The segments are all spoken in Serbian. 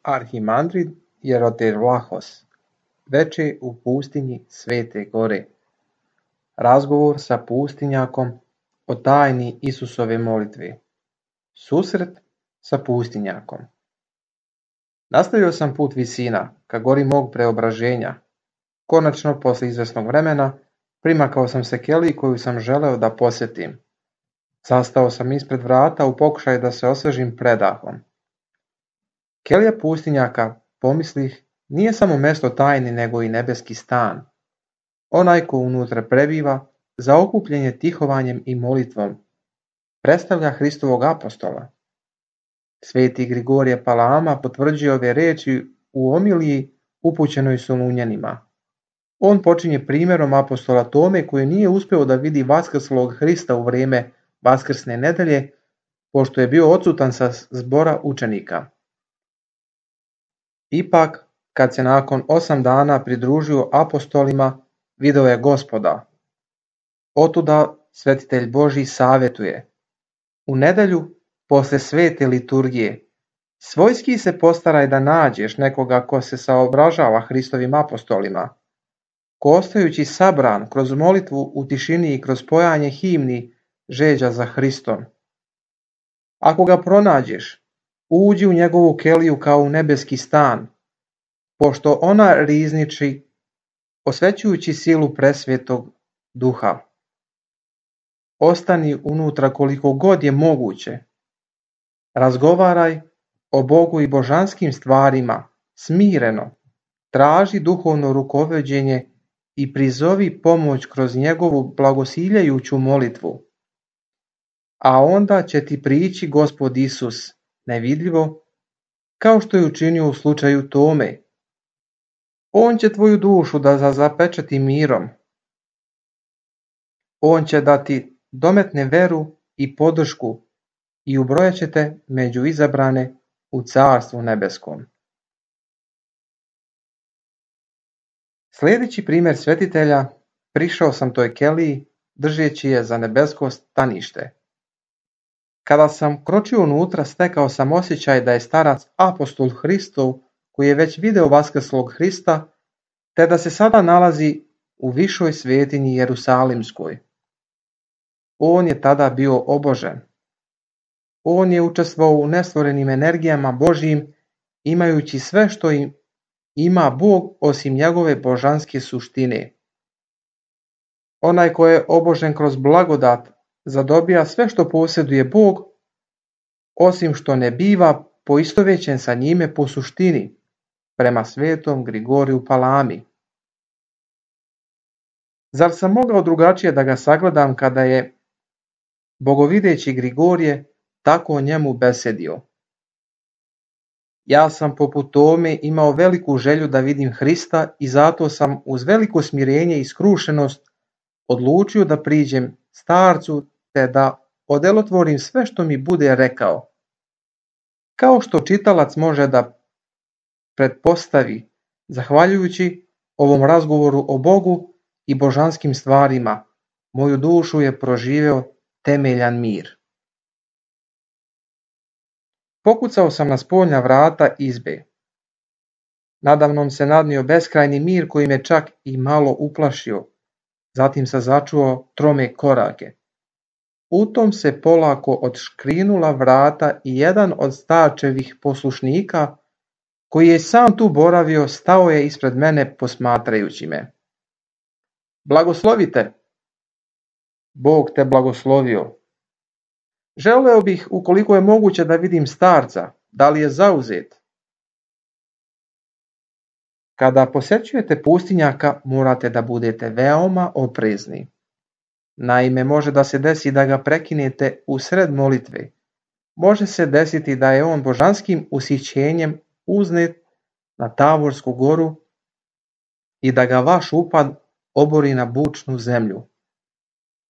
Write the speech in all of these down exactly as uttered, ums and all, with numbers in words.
Arhimandrit Jerotervlahos veče u pustinji Svete Gore. Razgovor sa pustinjakom o tajni Isusove molitve. Susret sa pustinjakom. Nastavio sam put visina ka gori mog preobraženja. Konačno, posle izvesnog vremena, primakao sam se keliji koju sam želeo da posjetim. Zastao sam ispred vrata u pokušaju da se osvežim predahom. Kelija pustinjaka, pomislih, nije samo mesto tajni nego i nebeski stan. Onaj ko unutra prebiva, zaokupljen je tihovanjem i molitvom, predstavlja Hristovog apostola. Sveti Grigorije Palama potvrđuje ove reči u omiliji upućenoj Solunjanima. On počinje primjerom apostola Tome koji nije uspeo da vidi vaskrslog Hrista u vrijeme Vaskrsne nedelje, pošto je bio odsutan sa zbora učenika. Ipak, kad se nakon osam dana pridružio apostolima, video je Gospoda. Otuda svetitelj Božji savjetuje: u nedelju, posle svete liturgije, svojski se postaraj da nađeš nekoga ko se saobražava Hristovim apostolima, ko ostajući sabran kroz molitvu u tišini i kroz pojanje himni žeđa za Hristom. Ako ga pronađeš, uđi u njegovu keliju kao u nebeski stan, pošto ona rizniči, osvećujući silu presvetog duha. Ostani unutra koliko god je moguće. Razgovaraj o Bogu i božanskim stvarima, smireno, traži duhovno rukovođenje i prizovi pomoć kroz njegovu blagosiljajuću molitvu. A onda će ti prići Gospod Isus, nevidljivo, kao što je učinio u slučaju Tome. On će tvoju dušu da zapečati mirom. On će da ti dometne veru i podršku i ubrojat će te među izabrane u carstvu nebeskom. Sljedeći primjer svetitelja, prišao sam toj keliji držeći je za nebesko stanište. Kada sam kročio unutra, stekao sam osjećaj da je starac apostol Hristov koji je već video vaskrslog Hrista, te da se sada nalazi u višoj svetinji Jerusalimskoj. On je tada bio obožen. On je učestvovao u nestvorenim energijama Božjim, imajući sve što im ima Bog osim njegove božanske suštine. Onaj ko je obožen kroz blagodat zadobija sve što posjeduje Bog, osim što ne biva poistovećen sa njime po suštini, prema svetom Grigoriju Palami. Zar sam mogao drugačije da ga sagledam kada je bogovideći Grigorije tako o njemu besedio? Ja sam poput Tome imao veliku želju da vidim Hrista i zato sam uz veliko smirenje i skrušenost odlučio da priđem starcu te da odelotvorim sve što mi bude rekao. Kao što čitalac može da pretpostavi, zahvaljujući ovom razgovoru o Bogu i božanskim stvarima, moju dušu je proživeo temeljan mir. Pokucao sam na spoljna vrata izbe. Nadamnom se nadnio beskrajni mir koji me čak i malo uplašio. Zatim se začuo trome korake. U tom se polako odškrinula vrata i jedan od starčevih poslušnika, koji je sam tu boravio, stao je ispred mene posmatrajući me. Blagoslovite! Bog te blagoslovio. Želeo bih, ukoliko je moguće, da vidim starca, da li je zauzet. Kada posjećujete pustinjaka, morate da budete veoma oprezni. Naime, može da se desi da ga prekinete u sred molitve. Može se desiti da je on božanskim usićenjem uznet na Tavorsku goru i da ga vaš upad obori na bučnu zemlju.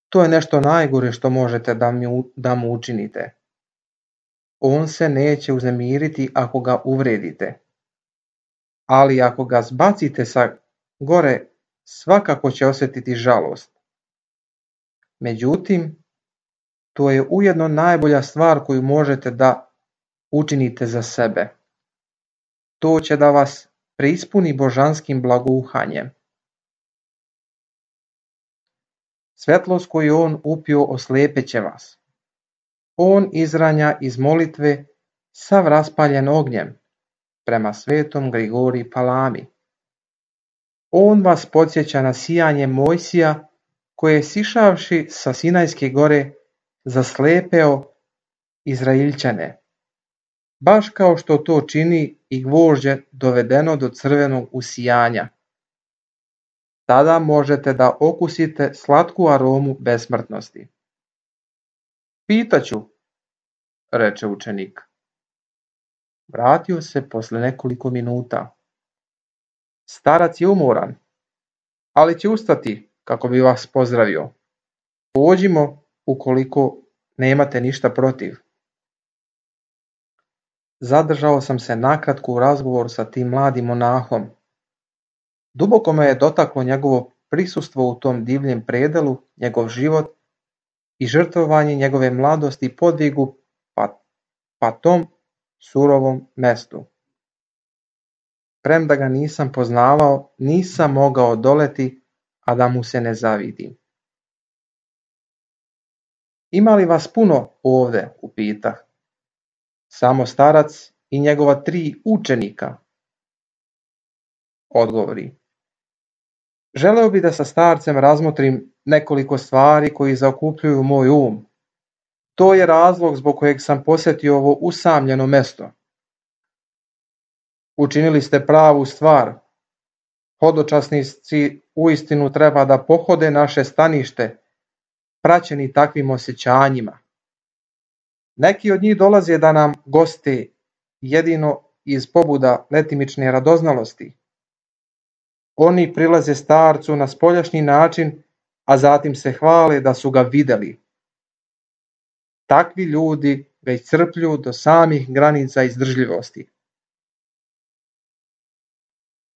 To je nešto najgore što možete da, mi, da mu učinite. On se neće uznemiriti ako ga uvredite. Ali ako ga zbacite sa gore, svakako će osjetiti žalost. Međutim, to je ujedno najbolja stvar koju možete da učinite za sebe. To će da vas preispuni božanskim blagouhanjem. Svetlost koju on upio oslepeće vas. On izranja iz molitve sav raspaljen ognjem, prema svetom Grigoriji Palami. On vas podsjeća na sijanje Mojsija, koje je sišavši sa Sinajske gore zaslepeo Izrailčane, baš kao što to čini i gvožđe dovedeno do crvenog usijanja. Tada možete da okusite slatku aromu besmrtnosti. Pitaću, reče učenik. Vratio se posle nekoliko minuta. Starac je umoran, ali će ustati kako bi vas pozdravio. Pođimo ukoliko nemate ništa protiv. Zadržao sam se nakratko u razgovoru sa tim mladim monahom. Duboko me je dotaklo njegovo prisustvo u tom divljem predelu, njegov život i žrtvovanje njegove mladosti i podvigu pa, pa tom surovom mestu. Premda ga nisam poznavao, nisam mogao doleti, a da mu se ne zavidim. Ima li vas puno ovde, upitah. Samo starac i njegova tri učenika, odgovori. Želeo bi da sa starcem razmotrim nekoliko stvari koji zaokupljuju moj um. To je razlog zbog kojeg sam posjetio ovo usamljeno mesto. Učinili ste pravu stvar. Hodočasnici uistinu treba da pohode naše stanište, praćeni takvim osjećanjima. Neki od njih dolaze da nam goste jedino iz pobuda letimične radoznalosti. Oni prilaze starcu na spoljašnji način, a zatim se hvale da su ga videli. Takvi ljudi ga iscrpljuju do samih granica izdržljivosti.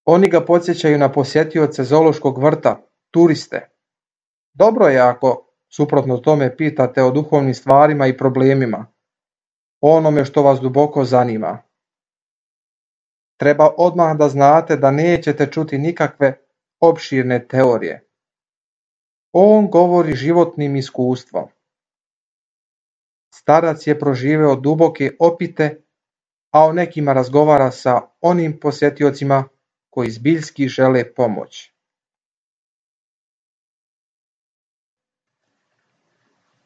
Oni ga podsjećaju na posjetioce zoološkog vrta, turiste. Dobro je ako, suprotno tome, pitate o duhovnim stvarima i problemima, o onome što vas duboko zanima. Treba odmah da znate da nećete čuti nikakve opširne teorije. On govori životnim iskustvom. Starac je proživeo duboke opite, a o nekima razgovara sa onim posjetiocima koji zbiljski žele pomoć.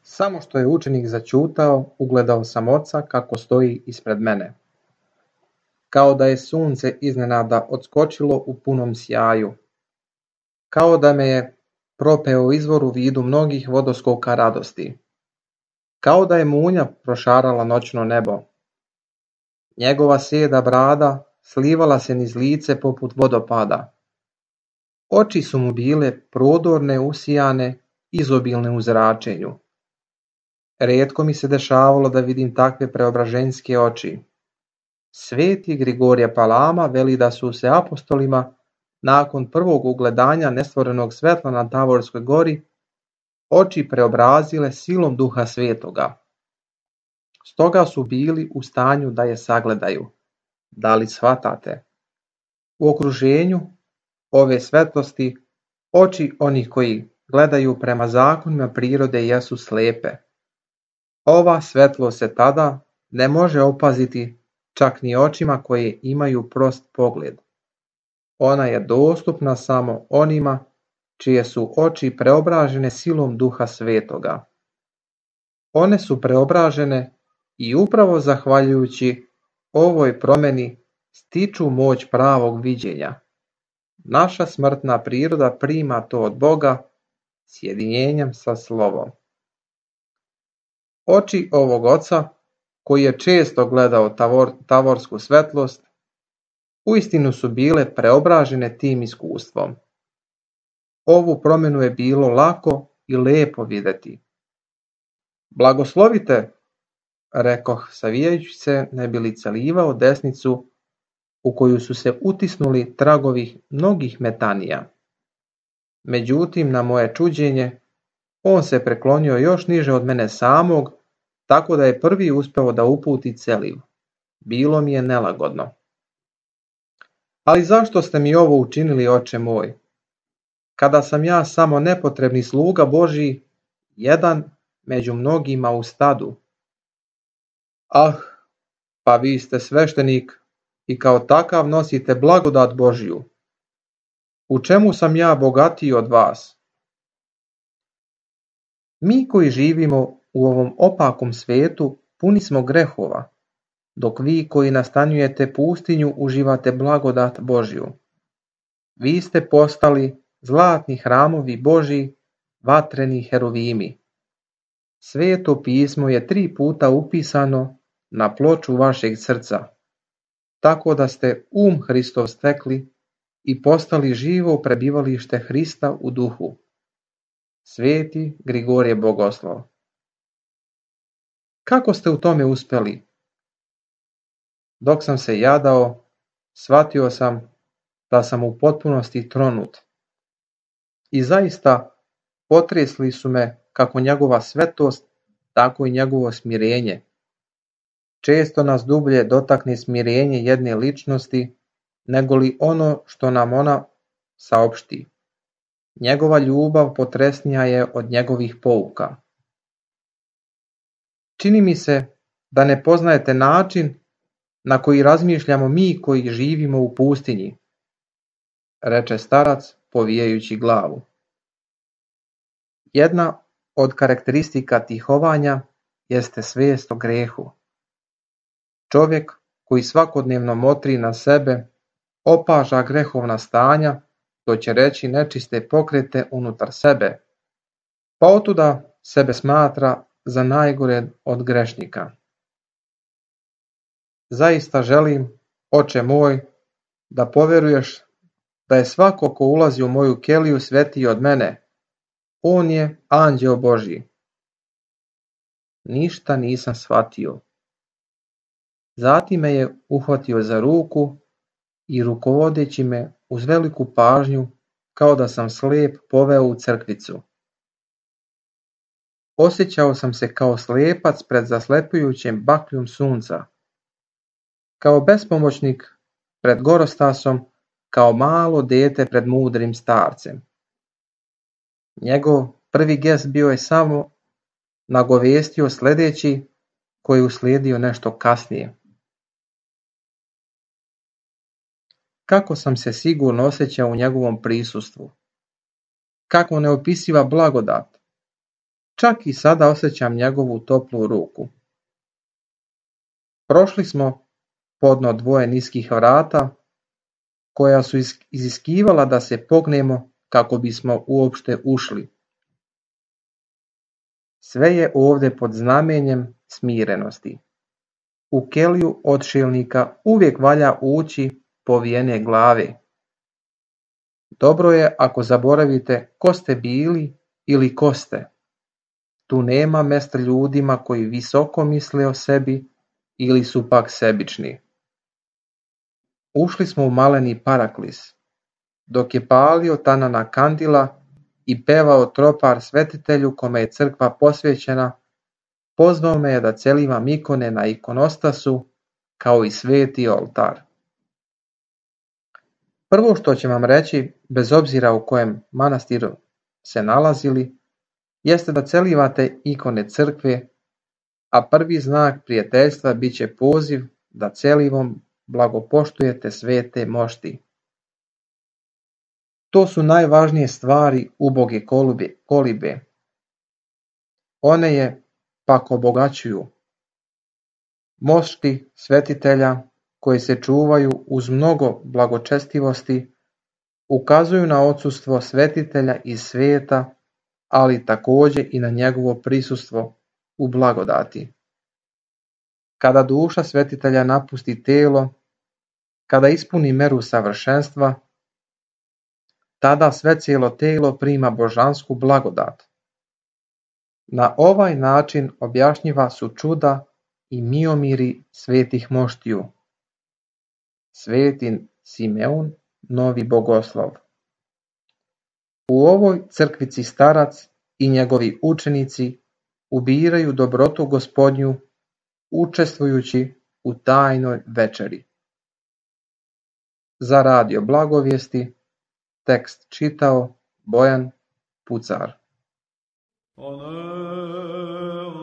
Samo što je učenik zaćutao, ugledao sam oca kako stoji ispred mene. Kao da je sunce iznenada odskočilo u punom sjaju. Kao da me je propeo izvor u vidu mnogih vodoskoka radosti. Kao da je munja prošarala noćno nebo. Njegova sjeda brada slivala se niz lice poput vodopada. Oči su mu bile prodorne, usijane, izobilne u zračenju. Rijetko mi se dešavalo da vidim takve preobraženjske oči. Sveti Grigorije Palama veli da su se apostolima nakon prvog ugledanja nestvorenog svetla na Tavorskoj gori oči preobrazile silom Duha Svetoga. Stoga su bili u stanju da je sagledaju. Da li shvatate? U okruženju ove svetlosti oči onih koji gledaju prema zakonima prirode jesu slepe. Ova svetlost se tada ne može opaziti čak ni očima koje imaju prost pogled. Ona je dostupna samo onima čije su oči preobražene silom Duha Svetoga. One su preobražene i upravo zahvaljujući ovoj promjeni stiču moć pravog viđenja. Naša smrtna priroda prima to od Boga sjedinjenjem sa slovom. Oči ovog oca, koji je često gledao tavor, tavorsku svetlost, uistinu su bile preobražene tim iskustvom. Ovu promjenu je bilo lako i lepo vidjeti. Blagoslovite, rekoh savijajući se ne bi li celivao desnicu u koju su se utisnuli tragovi mnogih metanija. Međutim, na moje čuđenje, on se preklonio još niže od mene samog, tako da je prvi uspeo da uputi celiv. Bilo mi je nelagodno. Ali zašto ste mi ovo učinili, oče moj? Kada sam ja samo nepotrebni sluga Božji, jedan među mnogima u stadu. Ah, pa vi ste sveštenik i kao takav nosite blagodat Božju. U čemu sam ja bogatiji od vas? Mi koji živimo u ovom opakom svijetu puni smo grehova, dok vi koji nastanjujete pustinju uživate blagodat Božju. Vi ste postali zlatni hramovi Božji, vatreni heruvimi. Sveto pismo je tri puta upisano na ploču vašeg srca, tako da ste um Hristov stekli i postali živo prebivalište Hrista u duhu. Sveti Grigorije Bogoslov. Kako ste u tome uspjeli? Dok sam se jadao, shvatio sam da sam u potpunosti tronut. I zaista potresli su me kako njegova svetost, tako i njegovo smirenje. Često nas dublje dotakne smirenje jedne ličnosti, nego li ono što nam ona saopšti. Njegova ljubav potresnija je od njegovih pouka. Čini mi se da ne poznajete način na koji razmišljamo mi koji živimo u pustinji, reče starac povijajući glavu. Jedna od karakteristika tihovanja jeste svijest o grehu. Čovjek koji svakodnevno motri na sebe, opaža grehovna stanja, to će reći nečiste pokrete unutar sebe, pa otuda sebe smatra za najgore od grešnika. Zaista želim, oče moj, da povjeruješ da je svako ko ulazi u moju keliju svetiji od mene. On je anđeo Božji. Ništa nisam shvatio. Zatim me je uhvatio za ruku i rukovodeći me uz veliku pažnju, kao da sam slijep, poveo u crkvicu. Osjećao sam se kao slijepac pred zaslepljujućem bakljom sunca, kao bespomoćnik pred gorostasom, kao malo dete pred mudrim starcem. Njegov prvi gest bio je samo nagovijestio sljedeći, koji je uslijedio nešto kasnije. Kako sam se sigurno osjećao u njegovom prisustvu. Kako neopisiva blagodat. Čak i sada osjećam njegovu toplu ruku. Prošli smo podno dvoje niskih vrata, koja su iziskivala da se pognemo kako bismo uopšte ušli. Sve je ovdje pod znamenjem smirenosti. U keliju odšilnika uvijek valja ući povijene glave. Dobro je ako zaboravite ko ste bili ili ko ste. Tu nema mjesta ljudima koji visoko misle o sebi ili su pak sebični. Ušli smo u maleni paraklis, dok je palio tanana kandila i pevao tropar svetitelju kome je crkva posvećena, pozvao me je da celivam ikone na ikonostasu kao i sveti oltar. Prvo što ću vam reći, bez obzira u kojem manastiru se nalazili, jeste da celivate ikone crkve, a prvi znak prijateljstva bit će poziv da celivom blagopoštujete svete mošti. To su najvažnije stvari uboge kolibe, kolibe. One je pak obogaćuju. Mošti svetitelja koji se čuvaju uz mnogo blagočestivosti ukazuju na odsustvo svetitelja iz svijeta, ali također i na njegovo prisustvo u blagodati. Kada duša svetitelja napusti telo, kada ispuni meru savršenstva, tada sve cijelo telo prima božansku blagodat. Na ovaj način objašnjiva su čuda i miomiri svetih moštiju. Sveti Simeon, novi bogoslov. U ovoj crkvici starac i njegovi učenici ubiraju dobrotu Gospodnju, učestvujući u tajnoj večeri. Za radio Blagovijesti tekst čitao Bojan Pucar. Amen.